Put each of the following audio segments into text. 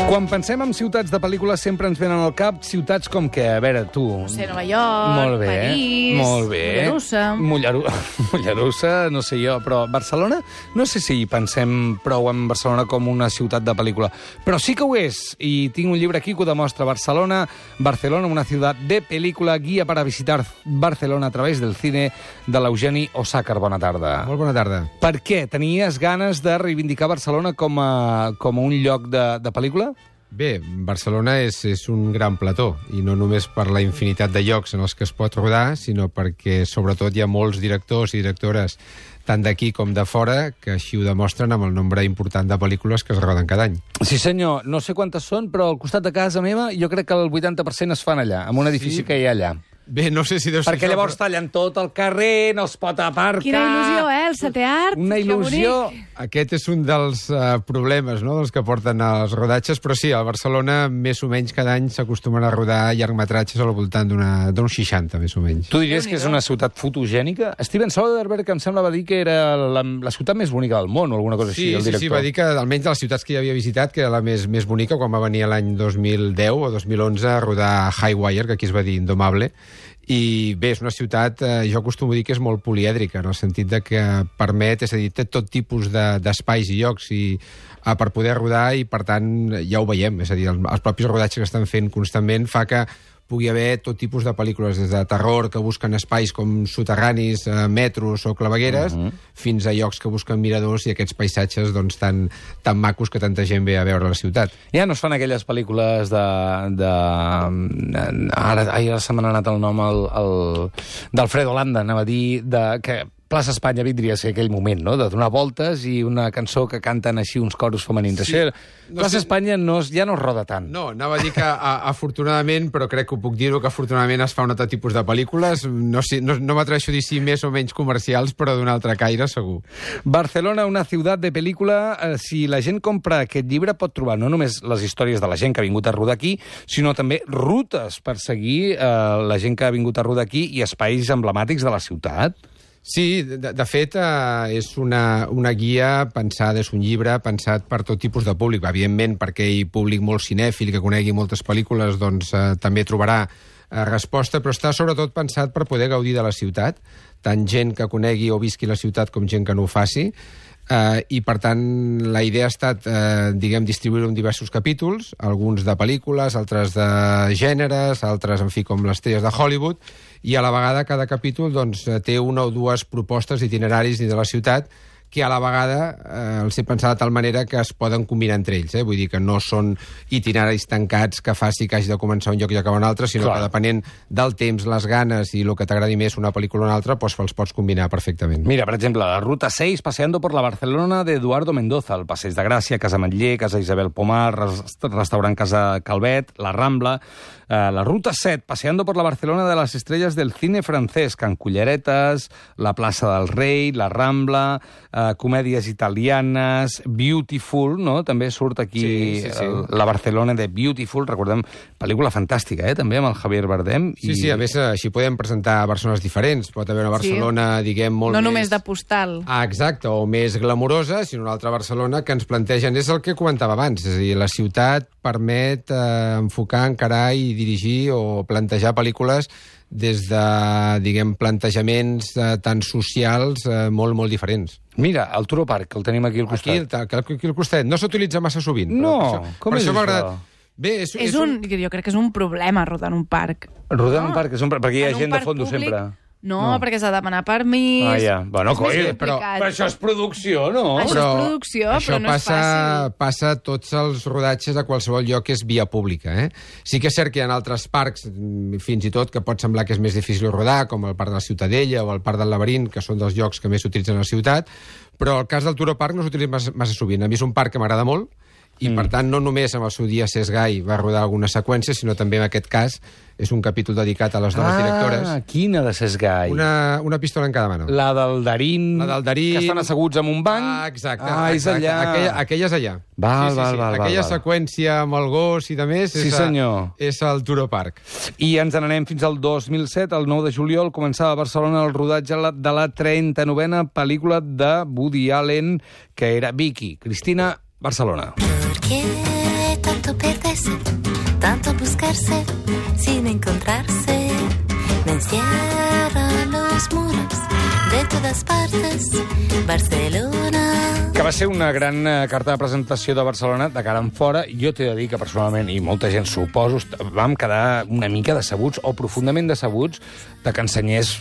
Quan pensem en ciutats de pel·lícules sempre ens venen al cap ciutats com què? A veure, tu... No sé, Nova York, Molt bé, París, molt bé. Mollerussa. Mollerussa, no sé jo, però Barcelona, no sé si pensem prou en Barcelona com una ciutat de pel·lícula, però sí que ho és, i tinc un llibre aquí que ho demostra. Barcelona, una ciutat de pel·lícula, guia para visitar Barcelona a través del cine, de l'Eugeni Osàcar. Bona tarda. Molt bona tarda. Per què? Tenies ganes de reivindicar Barcelona com a un lloc de pel·lícula? Bé, Barcelona és un gran plató, i no només per la infinitat de llocs en els que es pot rodar, sinó perquè, sobretot, hi ha molts directors i directores, tant d'aquí com de fora, que així ho demostren amb el nombre important de pel·lícules que es roden cada any. Sí, senyor. No sé quantes són, però al costat de casa meva jo crec que el 80% es fan allà, en un edifici que hi ha allà. Bé, no sé si deu ser Perquè llavors tallen tot el carrer, no es pot aparcar... Quina il·lusió, el setè art. Una il·lusió... Aquest és un dels problemes, no?, dels que porten als rodatges, però sí, a Barcelona, més o menys, cada any s'acostumen a rodar llargmetratges al voltant d'uns 60, més o menys. Tu diries que és una ciutat fotogènica? Steven Soderbergh, em sembla, va dir que era la ciutat més bonica del món, o alguna cosa així, el director. Sí, va dir que, almenys de les ciutats que ja havia visitat, que era la més bonica, quan va venir l'any 2010 o 2011 a rodar Highwire, que aquí es va dir Indomable. I bé, és una ciutat, jo acostumo a dir que és molt polièdrica, en el sentit de que permet, és a dir, té tot tipus d'espais i llocs per poder rodar, i per tant ja ho veiem, és a dir, els propis rodatges que estan fent constantment fa que pugui haver tot tipus de pel·lícules, des de terror, que busquen espais com soterranis, metros o clavegueres, fins a llocs que busquen miradors i aquests paisatges doncs, tan macos que tanta gent ve a veure a la ciutat. Ja no es fan aquelles pel·lícules Ara se m'ha anat el nom d'Alfredo Landa, anava a dir, que Plaça Espanya vindria a ser aquell moment, no?, de donar voltes i una cançó que canten així uns coros femenins. Sí. Plaça Espanya ja no es roda tant. No, anava a dir que afortunadament, però crec que ho puc dir-ho, que afortunadament es fa un altre tipus de pel·lícules, no m'atreveixo a dir si més o menys comercials, però d'un altre caire, segur. Barcelona, una ciutat de pel·lícula. Si la gent compra aquest llibre pot trobar no només les històries de la gent que ha vingut a rodar aquí, sinó també rutes per seguir la gent que ha vingut a rodar aquí i espais emblemàtics de la ciutat. Sí, de fet, és una guia pensada, és un llibre pensat per tot tipus de públic. Evidentment, perquè hi públic molt cinèfil, que conegui moltes pel·lícules, doncs també trobarà resposta, però està sobretot pensat per poder gaudir de la ciutat, tant gent que conegui o visqui la ciutat com gent que no ho faci. I, per tant, la idea ha estat, distribuir-ho en diversos capítols, alguns de pel·lícules, altres de gèneres, altres, en fi, com les estrelles de Hollywood, i a la vegada cada capítol doncs, té una o dues propostes d'itineraris dins de la ciutat que a la vegada els he pensat de tal manera que es poden combinar entre ells. Vull dir que no són itineraris tancats que faci que hagi de començar un lloc i acabar un altre, sinó que depenent del temps, les ganes i el que t'agradi més una pel·lícula o una altra, doncs els pots combinar perfectament. Mira, per exemple, la Ruta 6, paseando por la Barcelona de Eduardo Mendoza, el Passeig de Gràcia, Casa Ametller, Casa Isabel Pomar, restaurant Casa Calvet, la Rambla. La Ruta 7, paseando por la Barcelona de las estrellas del cine francès, Can Culleretes, la Plaça del Rei, la Rambla, comèdies italianes, Beautiful, no? També surt aquí la Barcelona de Beautiful, recordem, pel·lícula fantàstica, també, amb el Javier Bardem. Sí, a més, així podem presentar persones diferents. Pot haver una Barcelona, diguem, molt més... No només de postal. Exacte, o més glamurosa, sinó una altra Barcelona que ens plantegen... És el que comentava abans, és a dir, la ciutat permet enfocar, encarar i dirigir o plantejar pel·lícules des de, diguem, plantejaments tan socials molt, molt diferents. Mira, el Turó Park, que el tenim aquí al costat. Aquí al costat. No s'utilitza massa sovint. No, com és això? Bé, jo crec que és un problema rodar en un parc. Rodar en un parc, perquè hi ha gent de fondo sempre. No, perquè s'ha de demanar permís... Bueno, però això és producció, no? Això és producció, però no és fàcil. Passa tots els rodatges a qualsevol lloc que és via pública. Sí que és cert que hi ha altres parcs, fins i tot, que pot semblar que és més difícil rodar, com el Parc de la Ciutadella o el Parc del Laberint, que són dels llocs que més s'utilitzen a la ciutat, però el cas del Turó Park no s'utilitza massa sovint. A mi és un parc que m'agrada molt, i, per tant, no només amb el seu dia Cesc Gai va rodar alguna seqüència, sinó també en aquest cas és un capítol dedicat a les noves directores. Quina de Cesc Gai? Una pistola en cada mano. La del Darín, que estan asseguts en un banc. Exacte. És allà. Aquella és allà. Val. Aquella seqüència amb el gos i de més és el Turó Park. I ens n'anem fins al 2007, el 9 de juliol, començava a Barcelona el rodatge de la 39a pel·lícula de Woody Allen, que era Vicky, Cristina, Barcelona. quiere tanto perderse, tanto buscarse sin encontrarse. Me encierran los muros de todas partes, Barcelona. Que va ser una gran carta de presentació de Barcelona de cara en fora. Jo t'he de dir que personalment, i molta gent suposo, vam quedar una mica decebuts o profundament decebuts de que ensenyés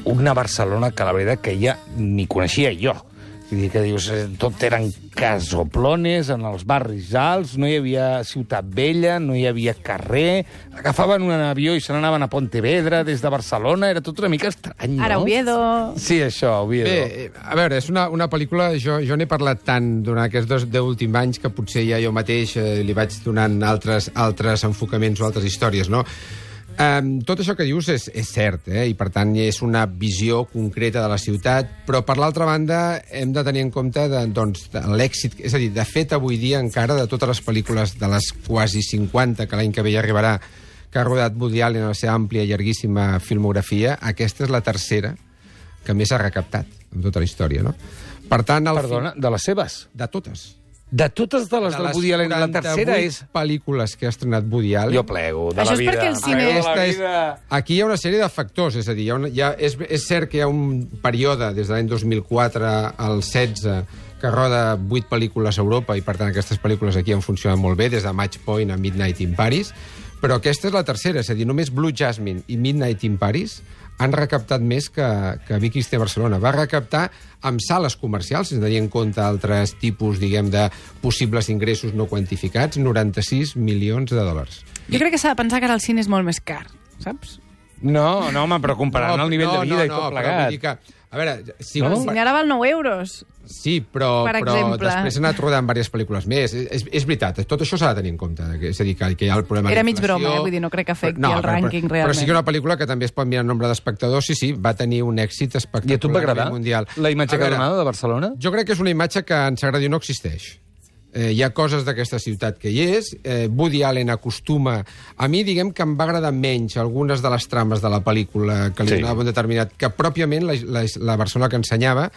una Barcelona que la veritat que ja ni coneixia jo. Vull dir que dius, tot eren casoplones en els barris alts, no hi havia ciutat vella, no hi havia carrer, agafaven un avió i se n'anaven a Pontevedra des de Barcelona, era tot una mica estrany, no? Ara Oviedo... Sí, això, Oviedo. Bé, a veure, és una pel·lícula... Jo n'he parlat tant durant aquests 10 últims anys que potser ja jo mateix li vaig donant altres enfocaments o altres històries, no? Tot això que dius és cert, i per tant és una visió concreta de la ciutat, però per l'altra banda hem de tenir en compte l'èxit, és a dir, de fet avui dia encara de totes les pel·lícules de les quasi 50 que l'any que ve ja arribarà, que ha rodat Woody Allen en la seva àmplia i llarguíssima filmografia, aquesta és la tercera que més ha recaptat en tota la història, no? Per tant, Perdona, de les seves? de totes. De totes de les del Woody Allen, la tercera és... pel·lícules que ha estrenat Woody Allen... Jo plego, de Això la és vida. perquè el cine- Aquí hi ha una sèrie de factors, és a dir, és cert que hi ha un període des de l'any 2004 al 16 que roda 8 pel·lícules a Europa i per tant aquestes pel·lícules aquí han funcionat molt bé, des de Match Point a Midnight in Paris, però aquesta és la tercera, és a dir, només Blue Jasmine i Midnight in Paris han recaptat més que Vicky Cristina Barcelona. Va recaptar amb sales comercials, sense tenir en compte altres tipus, diguem, de possibles ingressos no quantificats, 96 milions de dòlars. Jo crec que s'ha de pensar que ara el cine és molt més car, saps? No, home, però comparant el nivell de vida i tot però plegat. vull dir que, a veure, si El cine ara val 9 euros. Sí, però Per exemple. després s'ha anat rodant diverses pel·lícules més. És veritat, tot això s'ha de tenir en compte. És a dir, que hi ha el problema de Era mig l'inflació. broma, vull dir, no crec que afecti el rànquing Però realment. sí que una pel·lícula que també es pot mirar en nombre d'espectadors, sí, va tenir un èxit espectacular. I a tu et va agradar mundial. la imatge A veure, que ha donat de Barcelona? Jo crec que és una imatge que, ens agradi o no, existeix. Hi ha coses d'aquesta ciutat que hi és. Woody Allen acostuma... A mi, diguem que em va agradar menys algunes de les trames de la pel·lícula que li donava un determinat... que pròpiament la Barcelona que ensenyava.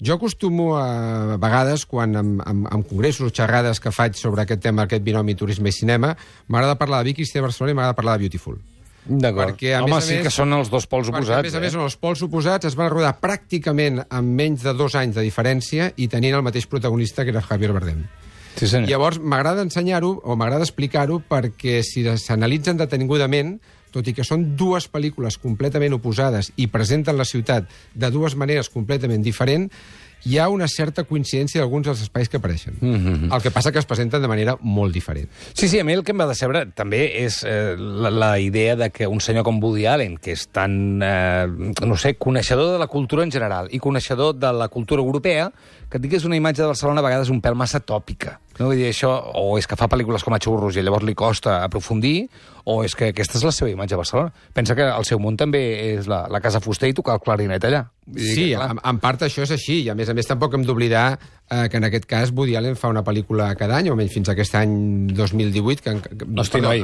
Jo acostumo a vegades, quan en congressos o xerrades que faig sobre aquest tema, aquest binomi turisme i cinema, m'agrada parlar de Vicky Cristina Barcelona i m'agrada parlar de Beautiful. D'acord. Perquè, a Home, més a sí més, que són els dos pols perquè, oposats. a més, són els pols oposats, es van rodar pràcticament en menys de 2 anys de diferència i tenint el mateix protagonista, que era Javier Bardem. Sí, senyor. Llavors, m'agrada ensenyar-ho, o m'agrada explicar-ho, perquè si s'analitzen detenidament, tot i que són dues pel·lícules completament oposades i presenten la ciutat de dues maneres completament diferents, hi ha una certa coincidència d'alguns dels espais que apareixen. El que passa que es presenten de manera molt diferent. Sí, a mi el que em va decebre també és la idea de que un senyor com Woody Allen, que és tan, no sé, coneixedor de la cultura en general i coneixedor de la cultura europea, que et digués una imatge de Barcelona a vegades un pèl massa tòpica. No? Vull dir, això, o és que fa pel·lícules com a xurros i llavors li costa aprofundir, o és que aquesta és la seva imatge de Barcelona. Pensa que el seu món també és la Casa Fuster i tocar el clarinet allà. Sí, en part això és així, i a més tampoc hem d'oblidar que en aquest cas Woody Allen fa una pel·lícula cada any, o almenys fins a aquest any 2018,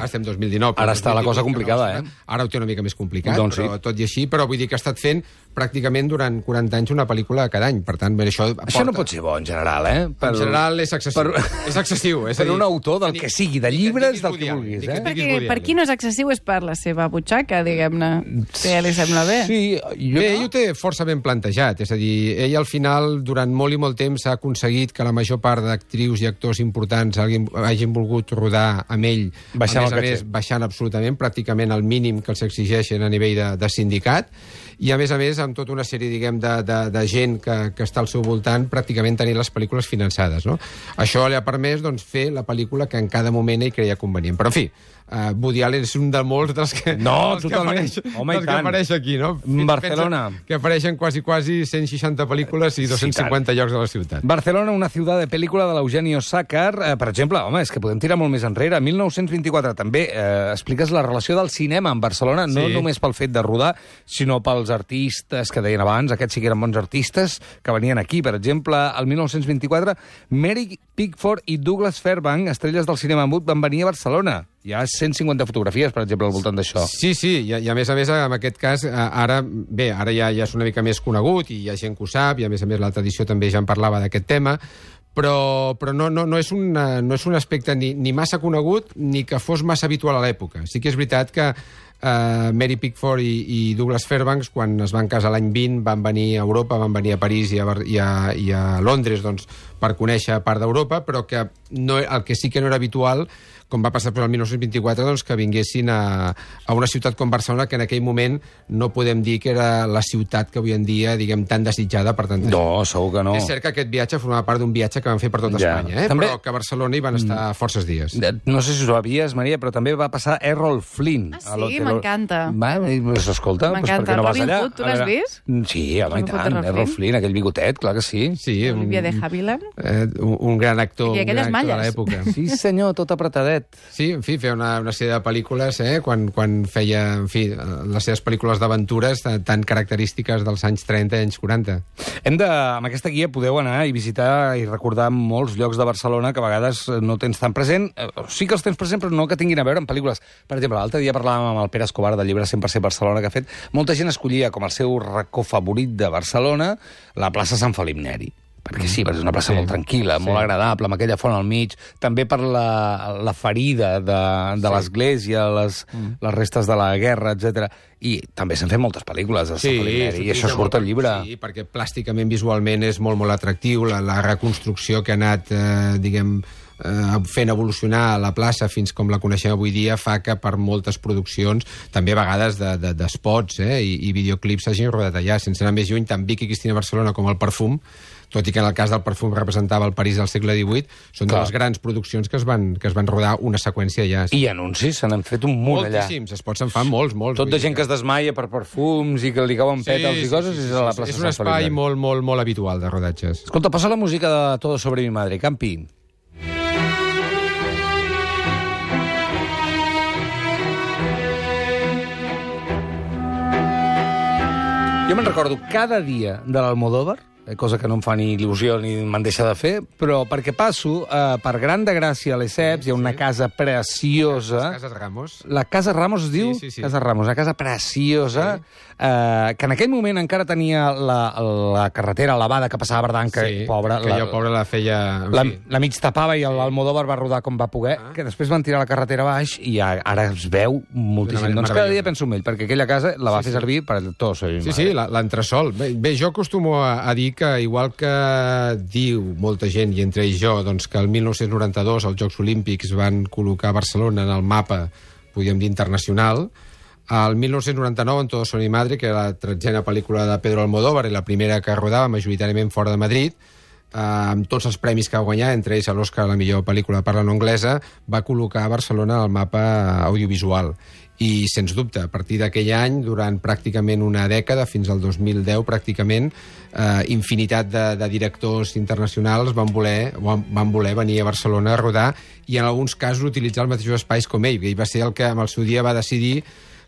estem 2019. Ara està la cosa complicada, Ara ho té una mica més complicat, doncs però tot i així, però vull dir que ha estat fent pràcticament durant 40 anys una pel·lícula cada any, per tant, això aporta... Això no pot ser bo, en general, En general és excessiu. És excessiu. Per un autor del que sigui, de llibres, del que vulguis, Perquè per qui no és excessiu és per la seva butxaca, diguem-ne. Si ja li sembla bé. Sí, ell ho té força ben plantejat. És a dir, ell al final, durant molt i molt temps, ha aconseguit que la major part d'actrius i actors importants hagin volgut rodar amb ell, baixant a més, baixant absolutament, pràcticament al mínim que els exigeixen a nivell de sindicat, i a més, amb tota una sèrie, diguem, de gent que està al seu voltant, pràcticament tenint les pel·lícules finançades, no? Això li ha permès, doncs, fer la pel·lícula que en cada moment ell creia convenient. Però, en fi, Woody Allen és un de molts dels que... No, totalment. Home, i tant. Que apareix aquí, no? Barcelona. Que apareixen quasi 160 pel·lícules i 250 llocs de la ciutat. Barcelona, una ciutat de pel·lícula de l'Eugenio Sácar. Per exemple, home, és que podem tirar molt més enrere. 1924 també expliques la relació del cinema amb Barcelona, no només pel fet de rodar, sinó pels artistes que deien abans, aquests sí que eren bons artistes, que venien aquí. Per exemple, el 1924, Mary Pickford i Douglas Fairbanks, estrelles del cinema mut, van venir a Barcelona. Hi ha 150 fotografies, per exemple, al voltant d'això. Sí, i a més, en aquest cas, ara ja és una mica més conegut i hi ha gent que ho sap, i a més, la tradició també ja en parlava d'aquest tema, però no és un aspecte ni massa conegut ni que fos massa habitual a l'època. Sí que és veritat que Mary Pickford i Douglas Fairbanks, quan es van casar l'any 20, van venir a Europa, van venir a París i a Londres doncs, per conèixer part d'Europa, però que el que sí que no era habitual, com va passar el 1924, doncs, que vinguessin a una ciutat com Barcelona, que en aquell moment no podem dir que era la ciutat que avui en dia, diguem, tan desitjada per tanta gent. No, segur que no. És cert que aquest viatge formava part d'un viatge que van fer per tot Espanya, També... però que a Barcelona hi van estar forces dies. No sé si ho sabies, Maria, però també va passar Errol Flynn. Ah, sí? M'encanta. Pues, escolta, pues, per què no vas allà? Tu l'has vist? Sí, home, i tant. Errol Flynn, aquell bigotet, clar que sí. Olivia de Havilland. Un gran actor, de l'època. Sí, senyor, tot apretadet. Sí, en fi, feia una sèrie de pel·lícules, quan feia, en fi, les seves pel·lícules d'aventures tan característiques dels anys 30 i anys 40. Amb aquesta guia podeu anar i visitar i recordar molts llocs de Barcelona que a vegades no tens tan present. Sí que els tens present, però no que tinguin a veure amb pel·lícules. Per exemple, l'altre dia parlàvem amb el Pere Escobar del llibre 100% Barcelona que ha fet. Molta gent escollia com el seu racó favorit de Barcelona la plaça Sant Felip Neri. Perquè sí, és una plaça molt tranquil·la, molt agradable, amb aquella font al mig, també per la ferida de l'església, les restes de la guerra, etc. I també s'han fet moltes pel·lícules de Sant Felip Neri, i això surt al llibre. Sí, perquè plàsticament, visualment, és molt, molt atractiu, la reconstrucció que ha anat, diguem, fent evolucionar la plaça fins com la coneixem avui dia fa que per moltes produccions, també a vegades d'espots i videoclips s'hagin rodat allà, sense anar més lluny, tant Vicky Cristina Barcelona com el Perfum, tot i que en el cas del Perfum representava el París del segle XVIII, són de les grans produccions que es van rodar una seqüència allà. I anuncis, se n'han fet un munt allà. Moltíssims, spots se'n fan molts. Tot de gent que es desmaia per perfums i que li cauen pètals i coses, és a la plaça Sant Felip. És un espai molt, molt, molt habitual de rodatges. Escolta, posa la música de Todo sobre mi madre, Campi. Jo me'n recordo cada dia de l'Almodóvar, cosa que no em fa ni il·lusió ni me'n deixa de fer, però perquè passo per Gran de Gràcia a Lesseps, hi ha una casa preciosa. Les Cases Ramos. La Casa Ramos es diu? Sí. Casa Ramos, una casa preciosa, que en aquell moment encara tenia la carretera elevada que passava a Verdant, que pobra... Que jo, pobra, la feia... La mig tapava i l'Almodóvar va rodar com va poder, que després van tirar la carretera baix i ara es veu moltíssim. Doncs cada dia penso en ell, perquè aquella casa la va fer servir per tot. Sí, l'entresòl. Bé, jo acostumo a dir que, igual que diu molta gent, i entre ells jo, doncs que el 1992 els Jocs Olímpics van col·locar Barcelona en el mapa, podríem dir, internacional, el 1999, en Todo sobre mi madre, que era la 13a pel·lícula de Pedro Almodóvar i la primera que rodava majoritàriament fora de Madrid, amb tots els premis que va guanyar, entre ells l'Oscar a la millor pel·lícula de parla no anglesa, va col·locar Barcelona al mapa audiovisual. I, sens dubte, a partir d'aquell any, durant pràcticament una dècada, fins al 2010 pràcticament, infinitat de directors internacionals van voler venir a Barcelona a rodar i en alguns casos utilitzar els mateixos espais com ell. Ell va ser el que en el seu dia va decidir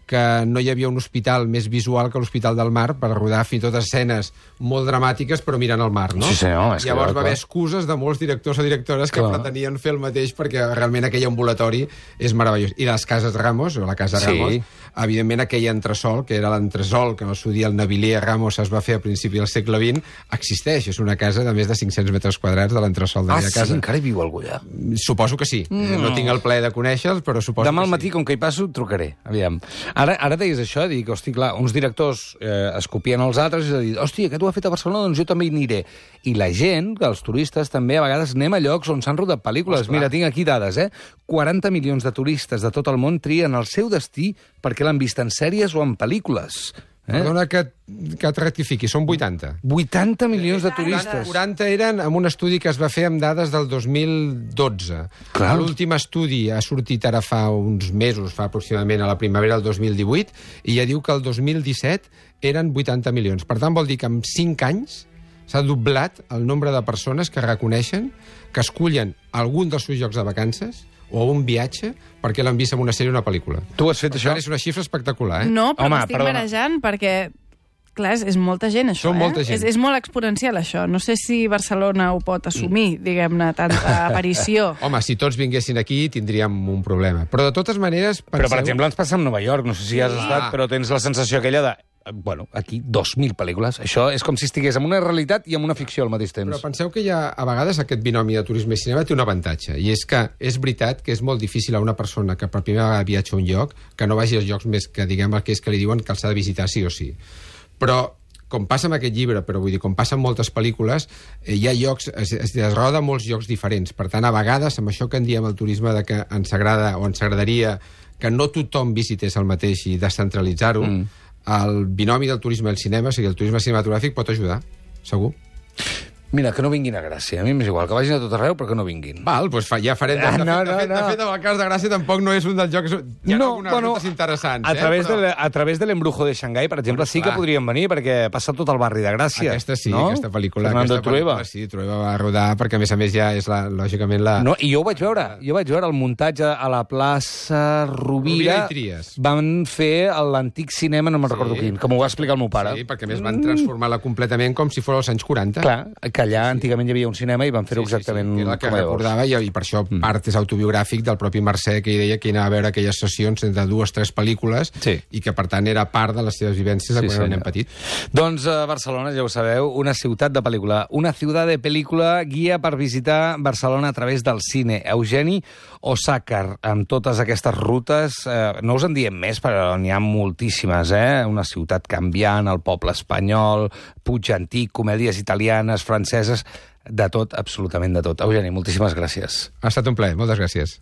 que no hi havia un hospital més visual que l'Hospital del Mar per rodar fins i tot escenes molt dramàtiques però mirant al mar, no? Sí, senyor. Llavors va haver excuses de molts directors o directores que pretenien fer el mateix perquè realment aquell ambulatori és meravellós. I les Cases Ramos, o la Casa Ramos, evidentment aquell entresòl, que era l'entresòl que en el seu dia el Navilé Ramos es va fer a principi del segle XX, existeix. És una casa de més de 500 metres quadrats de l'entresòl d'aquella casa. Ah, sí? Encara hi viu algú allà? Suposo que sí. No tinc el plaer de conèixer-los, però suposo que sí. Demà al matí, com que hi passo, trucaré. Aviam. Ara deies això, dic, hosti, clar, uns directors es copien els altres i dir, hosti, aquest ho ha fet a Barcelona, doncs jo també hi aniré. I la gent, els turistes, també a vegades anem a llocs on s'han rodat pel·lícules. Mira, tinc aquí dades, 40 milions de turistes de tot el món trien el seu destí perquè l'han vist en sèries o en pel·lícules. Perdona que et rectifiqui, són 80. 80 milions de turistes. 40 eren amb un estudi que es va fer amb dades del 2012. L'últim estudi ha sortit ara fa uns mesos, fa aproximadament a la primavera del 2018, i ja diu que el 2017 eren 80 milions. Per tant, vol dir que en 5 anys s'ha doblat el nombre de persones que reconeixen que escullen algun dels seus llocs de vacances o un viatge perquè l'han vist en una sèrie o una pel·lícula. Tu has fet això? És una xifra espectacular, No, però m'estic marejant perquè, clar, és molta gent, això, molta gent. És molt exponencial, això. No sé si Barcelona ho pot assumir, diguem-ne, tanta aparició. Home, si tots vinguessin aquí tindríem un problema. Però, de totes maneres... Però, per exemple, ens passa amb Nova York. No sé si has estat, però tens la sensació aquella de bueno, aquí 2.000 pel·lícules. Això és com si estigués en una realitat i en una ficció al mateix temps. Però penseu que a vegades aquest binomi de turisme i cinema té un avantatge, i és que és veritat que és molt difícil a una persona que per primera vegada viatja a un lloc que no vagi als llocs més que, diguem, aquells que li diuen que els ha de visitar sí o sí. Però com passa amb aquest llibre, però vull dir, com passa amb moltes pel·lícules, hi ha llocs, es roda molts llocs diferents. Per tant, a vegades, amb això que en diem el turisme de que ens agrada o ens agradaria que no tothom visités el mateix i descentralitzar-ho, el binomi del turisme al cinema, o sigui, el turisme cinematogràfic pot ajudar, segur. Mira, que no vinguin a Gràcia. A mi m'és igual, que vagin a tot arreu, però que no vinguin. Val, doncs ja farem... De fet, el cas de Gràcia tampoc no és un dels jocs... Hi ha algunes rutes interessants, a través de l'Embrujo de Xangai, per exemple, sí que podrien venir, perquè passa tot el barri de Gràcia. Aquesta sí, no? Aquesta pel·lícula. Fernando Trueba. Sí, Trueba va rodar, perquè a més ja és, lògicament, la... No, i jo ho vaig veure. Jo vaig veure el muntatge a la plaça Rovira. I Tries. Van fer l'antic cinema, no me'n recordo quin, que m'ho va explicar el meu pare. Sí, perquè a més van transformar-la completament com si fos als anys 40. Clar, que allà antigament hi havia un cinema i van fer-ho exactament que era el que com a recordava, i per això part és autobiogràfic del propi Mercè, que ell deia que anava a veure aquelles sessions entre 2 o 3 pel·lícules i que, per tant, era part de les seves vivències de quan era nen petit. Doncs Barcelona, ja ho sabeu, una ciutat de pel·lícula. Una ciutat de pel·lícula, guia per visitar Barcelona a través del cine. Eugeni Osàcar, amb totes aquestes rutes, no us en diem més, però n'hi ha moltíssimes, Una ciutat canviant, el poble espanyol, Puig Antic, comèdies italianes, franceses, de tot, absolutament de tot. Eugeni, moltíssimes gràcies. Ha estat un plaer, moltes gràcies.